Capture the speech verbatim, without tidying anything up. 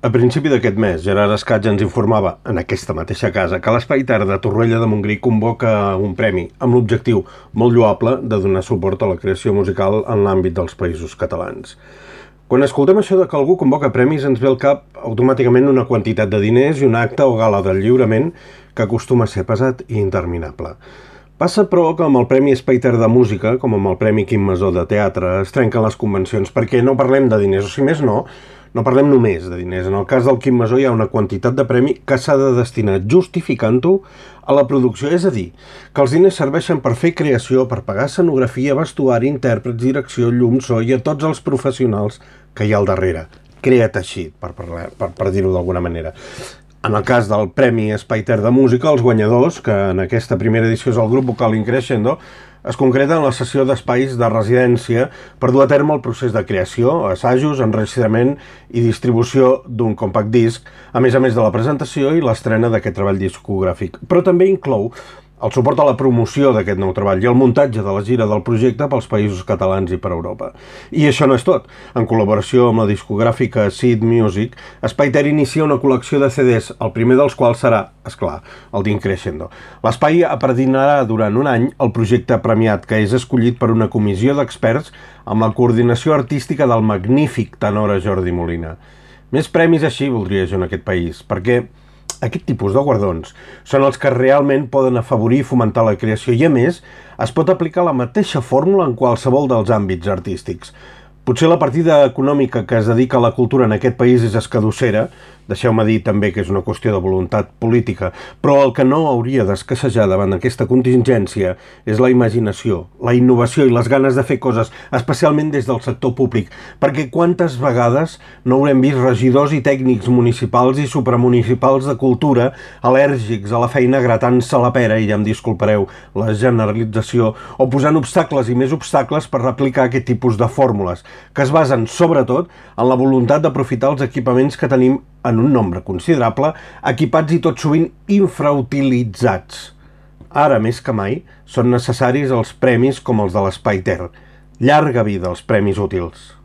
A principi d'aquest mes, Gerard Escatge ens informava, en aquesta mateixa casa, que l'Espai Ter de Torroella de Montgrí convoca un premi amb l'objectiu molt lloable de donar suport a la creació musical en l'àmbit dels països catalans. Quan escoltem això de que algú convoca premis ens ve al cap automàticament una quantitat de diners i un acte o gala del lliurament que acostuma a ser pesat i interminable. Passa, però, que amb el Premi Espai Ter de Música, com amb el Premi Quim Masó de Teatre, es trenquen les convencions perquè no parlem de diners, o si més no, no parlem només de diners. En el cas del Quim Masó hi ha una quantitat de premi que s'ha de destinar justificant-ho a la producció, és a dir, que els diners serveixen per fer creació, per pagar escenografia, vestuari, intèrprets, direcció, llum, so i a tots els professionals que hi ha al darrere. Crea't així, per, parlar, per, per dir-ho d'alguna manera. En el cas del Premi Espai Ter de Música, els guanyadors, que en aquesta primera edició és el grup vocal Increscendo, es concreta en la sessió d'espais de residència per dur a terme el procés de creació, assajos, enregistrament i distribució d'un compact disc, a més a més de la presentació i l'estrena d'aquest treball discogràfic. Però també inclou el suport a la promoció d'aquest nou treball i el muntatge de la gira del projecte pels països catalans i per Europa. I això no és tot. En col·laboració amb la discogràfica Seed Music, Espai Ter inicia una col·lecció de C Ds, el primer dels quals serà, esclar, el d'Increscendo. L'espai apadrinarà durant un any el projecte premiat, que és escollit per una comissió d'experts amb la coordinació artística del magnífic tenor Jordi Molina. Més premis així voldria jo en aquest país, perquè aquest tipus de guardons són els que realment poden afavorir i fomentar la creació i, a més, es pot aplicar la mateixa fórmula en qualsevol dels àmbits artístics. Potser la partida econòmica que es dedica a la cultura en aquest país és escadussera, deixeu-me dir també que és una qüestió de voluntat política, però el que no hauria d'escassejar davant d'aquesta contingència és la imaginació, la innovació i les ganes de fer coses, especialment des del sector públic, perquè quantes vegades no haurem vist regidors i tècnics municipals i supramunicipals de cultura al·lèrgics a la feina gratant-se la pera, i ja em disculpareu la generalització, o posant obstacles i més obstacles per replicar aquest tipus de fórmules, que es basen sobretot en la voluntat d'aprofitar els equipaments que tenim en un nombre considerable, equipats i tot sovint infrautilitzats. Ara, més que mai, són necessaris els premis com els de l'Espai Ter. Llarga vida als premis útils.